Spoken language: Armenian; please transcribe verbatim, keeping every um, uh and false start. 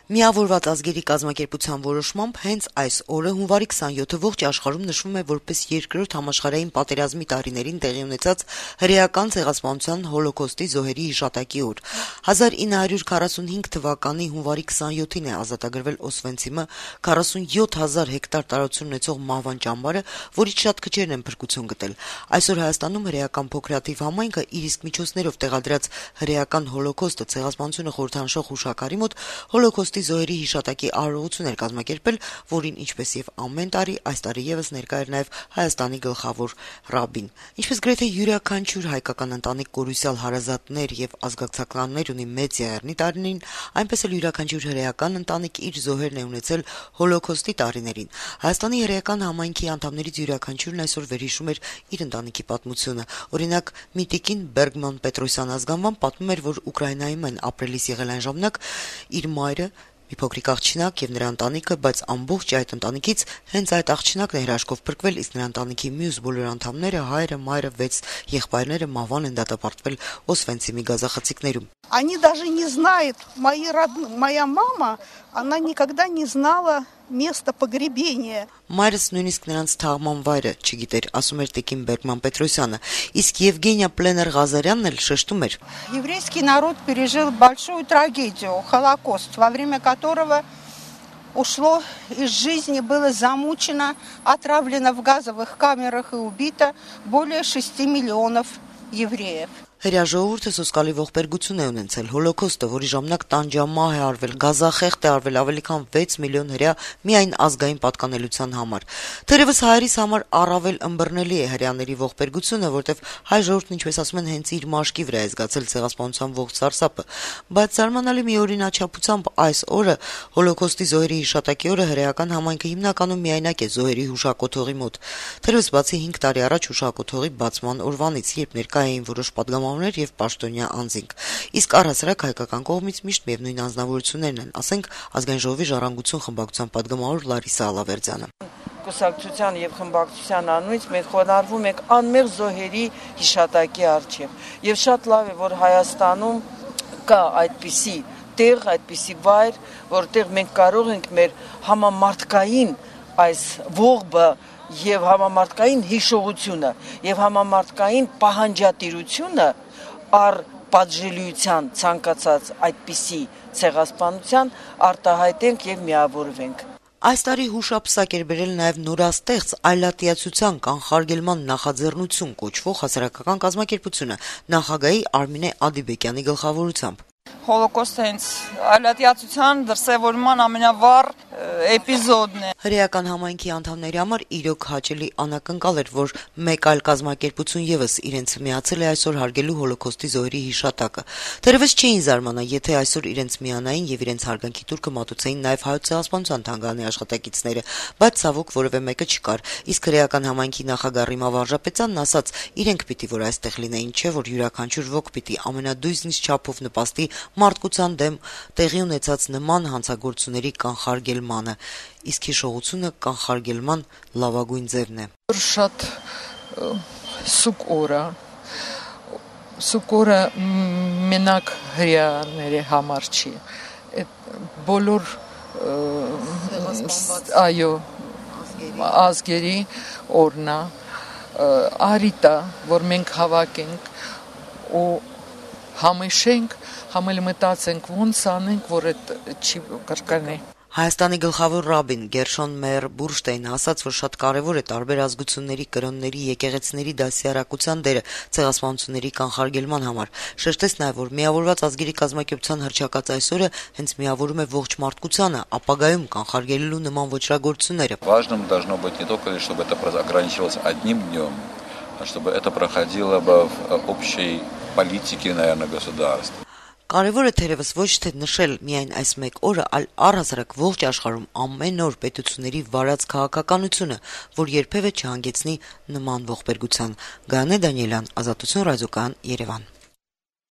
Միավորված ազգերի կազմակերպության որոշմամբ հենց այս օրը հունվարի քսանյոթը ողջ աշխարհում նշվում է որպես երկրորդ համաշխարհային պատերազմի տարիներին տեղի ունեցած հրեական ցեղասպանության հոլոկոստի զոհերի հիշատակի օր։ հազար ինը հարյուր քառասունհինգ թվականի հունվարի քսանյոթին է ազատագրվել Օսվենցիմը, քառասունյոթ հազար հեկտար տարածություն ունեցող մահվան ճամբարը, որից շատ քչերն են փրկություն գտել։ Այսօր Հայաստանում հրեական փոքրաթիվ համայնքը իր իսկ միջոցներով տեղադրած հրեական հոլոկոստը ցեղասպանությունը խորհրդանշող հուշակարի մոտ հոլոկոստի զոհերի հիշատակի արարողություն էր կազմակերպել, որին ինչպես եւ ամեն տարի այս տարի եւս ներկա էր նաեւ Հայաստանի գլխավոր ռաբին։ Ինչպես գրեթե յուրաքանչյուր հայկական ընտանիք կորուսյալ հարազատներ եւ ազգակցականներ ունի մեծ եղեռնի տարիներին, այնպես էլ յուրաքանչյուր հրեական ընտանիք իր զոհերն է ունեցել հոլոկոստի տարիներին։ Հայաստանի հրեական համայնքի անդամներից յուրաքանչյուրն այսօր վերհիշում էր իր ընտանիքի պատմությունը։ Օրինակ, Միտիկին Բերգման Պետրոսյան ազգանվան պատմում էր, որ Ուկրաինայում են ապրելիս եղել այն ժամանակ իր մայրը մի փոքրիկ աղջնակ եւ նրա ընտանիքը, բայց ամբողջ այդ ընտանիքից հենց այդ աղջնակն է հրաշքով փրկվել, իսկ նրա ընտանիքի մյուս բոլոր անդամները, հայրը, մայրը, վեց եղբայրները մահվան են դատապարտվել Օսվենցիմի գազախցիկներում։ Они даже не знают, мои род... моя мама, она никогда не знала место погребения. Մայրս նույնիսկ նրանց թաղման վայրը չգիտեր, ասում էր Տիկին Բերգման Պետրոսյանը, իսկ Եվգենիա Պլեներ-Ղազարյանն էլ շեշտում էր. Еврейский народ пережил большую трагедию, Холокост, во время которого ушло из жизни, было замучено, отравлено в газовых камерах и убито более шести миллионов евреев. Հրաժողովուրդը սոսկալի ողբերգություն է ունեցել հոլոկոստը, որի ժամանակ տանջամահ է արվել, գազախեղտ է արվել ավելի քան վեց միլիոն հրեա միայն ազգային պատկանելության համար։ Թերևս հայերիս համար առավել ըմբռնելի է հրեաների ողբերգությունը, որտեղ հայ ժողովուրդն, ինչպես ասում են, հենց իր մաշկի վրա է զգացել ցեղասպանության ողջ սարսափը, բայց զարմանալի մի օրինաչափությամբ այս օրը հոլոկոստի զոհերի հիշատակի օրը հրեական համայնքը հիմնականում միայնակ է զոհերի հուշակոթողի մոտ։ Թերևս բացի հինգ տարի առաջ հուշակոթողի բացման օրվանից, երբ ներկա էին որոշ պատգամավորներ եւ պաշտոնյա անձինք, իսկ առհասարակ հայկական կողմից միշտ միևնույն անձնավորություններն են, ասենք Ազգային ժողովի ժառանգություն խմբակցության պատգամավոր Լարիսա Ալավերդյանը։ Կուսակցության եւ խմբակցության անունից մենք խոնարհվում ենք անմեղ զոհերի հիշատակի առջեւ եւ շատ լավ է, որ Հայաստանում կա այդպիսի տեղ, այդպիսի վայր, որտեղ մենք կարող ենք մեր համամարտկային այս ողբը եւ համամարտկային հիշողությունը եւ համամարտկային պահանջատիրությունը առ պատժելիության ցանկացած այդպիսի ցեղասպանության արտահայտենք եւ միավորվենք։ Այս տարի հուշապսակ էր բերել նաև նորաստեղծ այլատիացության կանխարգելման նախաձեռնություն կոչվող հասարակական կազմակերպությունը նախագահի Արմինե Ադիբեկյանի գլխավորությամբ։ Հոլոկոստը հենց այլատիացության դրսևորման ամենավառ էպիզոդն է։ Հրեական համայնքի անդամների համար իրոք հաճելի անակնկալ էր, որ մեկ այլ կազմակերպություն եւս իրենց միացել է այսօր հարգելու հոլոկոստի զոհերի հիշատակը։ Թերևս չէին զարմանա, եթե այսօր իրենց միանային եւ իրենց հարգանքի տուրքը մատուցեին նաեւ հայոց ցեղասպանության թանգարանի աշխատակիցները, բայց ցավոք որևէ մեկը չկար։ Իսկ հրեական համայնքի նախագահ Ռիմա Վարժապետյանն ասաց, իրենք պիտի որ այստեղ լինեին, չէ՞ որ յուրաքանչյուր ոք պիտի ամենադույզնից չափով նպաստի մարդկության դեմ տեղի ունեցած նման հանցագործությունների կանխարգելմանը, իսկ հիշողությունը կանխարգելման լավագույն ձևն է։ Շատ սուկ օր, սուկ օրը մենակ հրեաների համար չի, բոլոր այո ազգերի օրնա արիտա, որ մենք հավաքենք ու համիշենք, համել մտածենք ոնց անենք, որ այդ չի կրկնի։ Հայաստանի գլխավոր ռաբին Գերշոն Մեյեր Բուրշտեյնը ասաց, որ շատ կարևոր է տարբեր ազգությունների, կրոնների, եկեղեցիների դասյարակության դերը ցեղասպանությունների կանխարգելման համար։ Շեշտեց նաև, որ միավորված ազգերի կազմակերպության հռչակած այս օրը հենց միավորում է ողջ մարդկությանը, ապագայում կանխարգելելու նման ոճրագործությունները։ Важным должно быть не только лишь, чтобы это ограничивалось одним днем, а чтобы это проходило бы в общей политике, наверное, государства. Կարևոր է թերևս ոչ թե նշել միայն այս մեկ օրը, այլ առհասարակ ողջ աշխարհում ամեն օր պետությունների վարած քաղաքականությունը, որ երբևէ չհանգեցնի նման ողբերգության։ Գայանե Դանիելյան, Ազատություն ռադիոկայան, Երևան։